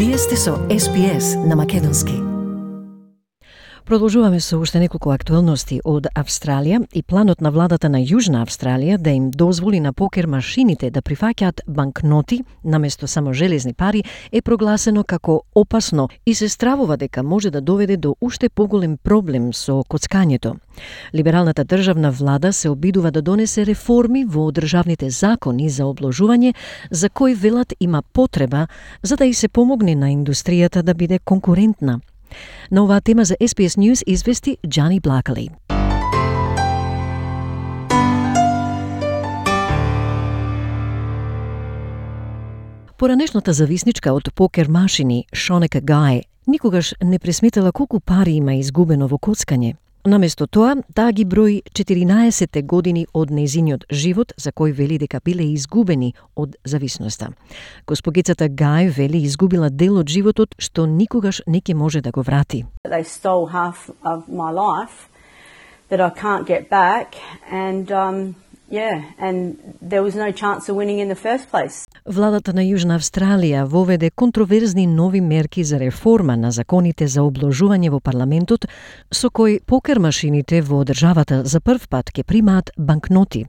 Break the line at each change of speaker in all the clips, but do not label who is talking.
Вие сте со SPS на Македонски.
Продолжуваме со уште неколку актуелности од Австралија и планот на владата на Јужна Австралија да им дозволи на покер машините да прифаќаат банкноти наместо само железни пари е прогласено како опасно и се стравува дека може да доведе до уште поголем проблем со коцкањето. Либералната државна влада се обидува да донесе реформи во државните закони за обложување, за кои велат има потреба за да и се помогне на индустријата да биде конкурентна. На оваа тема за SPS News извести Джани Блакали. Поранешната зависничка од покер машини Шонека Гај никогаш не пресметала колку пари има изгубено во коцкање. Наместо тоа, таа ги брои 14 години од нејзиниот живот за кој вели дека биле изгубени од зависноста. Госпогицата Гај вели изгубила дел од животот што никогаш не ќе може да го врати.
They stole half of my life that I can't get back and there was no chance of winning in the first place.
Владата на Јужна Австралија воведе контроверзни нови мерки за реформа на законите за обложување во парламентот, со кој покер машините во државата за прв пат ќе примаат банкноти.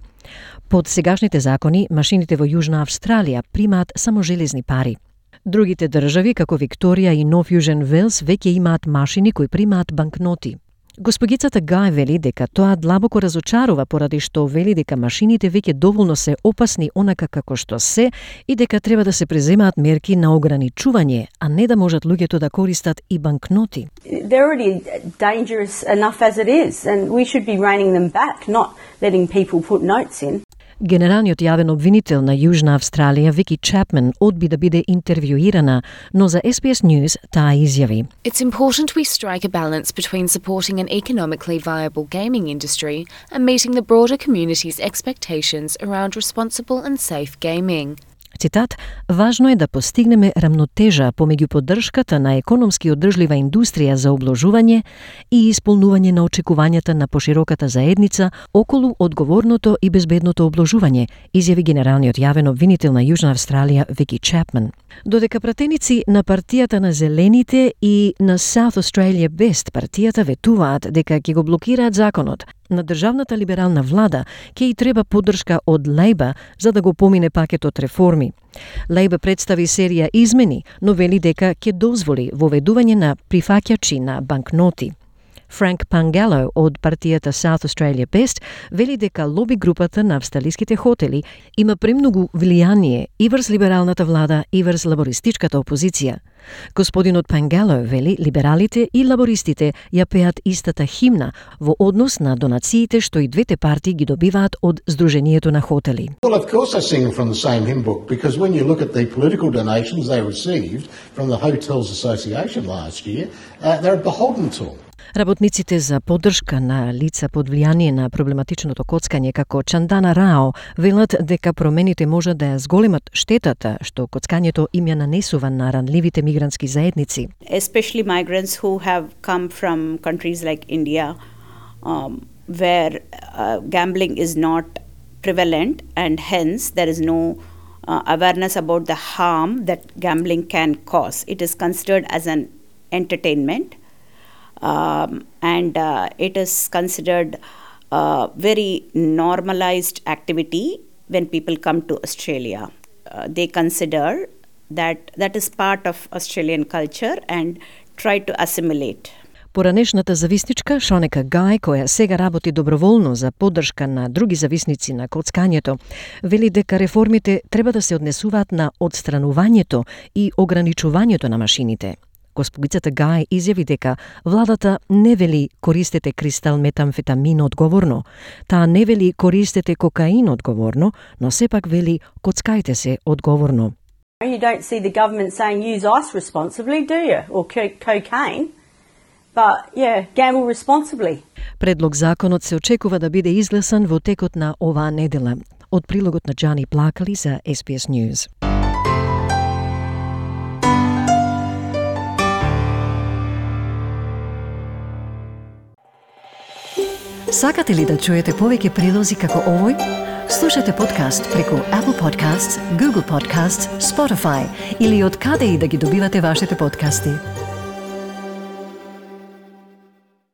Под сегашните закони, машините во Јужна Австралија примаат само железни пари. Другите држави, како Викторија и Нов Јужен Велс, веќе имаат машини кои примаат банкноти. Госпогицата Гај вели дека тоа длабоко разочарува поради што вели дека машините веќе доволно се опасни онака како што се и дека треба да се преземаат мерки на ограничување, а не да можат луѓето да користат и банкноти.
They're already dangerous enough as it is and we should be reining them back, not letting people put notes in.
Генералниот јавен обвинител на Јужна Австралија Вики Чапман одби да биде интервјуирана, но за SPS News таа изјави:
It's important we strike a balance between supporting an economically viable gaming industry and meeting the broader community's expectations around responsible and safe gaming.
Цитат: "Важно е да постигнеме рамнотежа помеѓу поддршката на економски одржлива индустрија за обложување и исполнување на очекувањата на пошироката заедница околу одговорното и безбедното обложување", изјави генералниот јавен обвинител на Јужна Австралија Вики Чапман. Додека пратеници на партијата на Зелените и на South Australia Best партијата ветуваат дека ќе го блокираат законот, на државната либерална влада ќе и треба поддршка од Лейба за да го помине пакетот реформи. Лейба представи серија измени, но вели дека ќе дозволи воведување на прифаќачи на банкноти. Франк Пангало од партијата South Australia Best вели дека лоби групата на австралиските хотели има премногу влијание и врз либералната влада и врз лабористичката опозиција. Господинот Пангало вели либералите и лабористите ја пеат истата химна во однос на донациите што и двете партии ги добиваат од Сдруженијето на хотели.
Well, of course they sing from the same hymn book because when you look at the political donations they received from the Hotels Association last year, they're beholden to them.
Работниците за поддршка на лица под влијание на проблематичното коцкање како Чандана Рао велат дека промените можат да ја зголемат штетата што коцкањето им ја нанесува на ранливите мигрантски заедници.
Especially migrants who have come from countries like India where gambling is not prevalent and hence there is no awareness about the harm that gambling can cause. It is considered as an entertainment. And it is considered a very normalized activity when people come to Australia. They consider that is part of Australian culture and try to assimilate.
Поранешната зависничка Шонека Гај, која сега работи доброволно за поддршка на други зависници на коцкањето, вели дека реформите треба да се однесуваат на одстранувањето и ограничувањето на машините. Госпогицата Гај изјави дека владата не вели користете кристал метамфетамин одговорно, таа не вели користете кокаин одговорно, но сепак вели коцкајте се одговорно.
You don't see the government saying use ice responsibly, do you? Or cocaine. But yeah, gamble responsibly.
Предлог законот се очекува да биде изгласан во текот на оваа недела. Од прилогот на Джани Блакали за SPS News.
Сакате ли да чуете повеќе прилози како овој? Слушате подкаст преку Apple Podcasts, Google Podcasts, Spotify или од каде и да ги добивате вашите подкасти.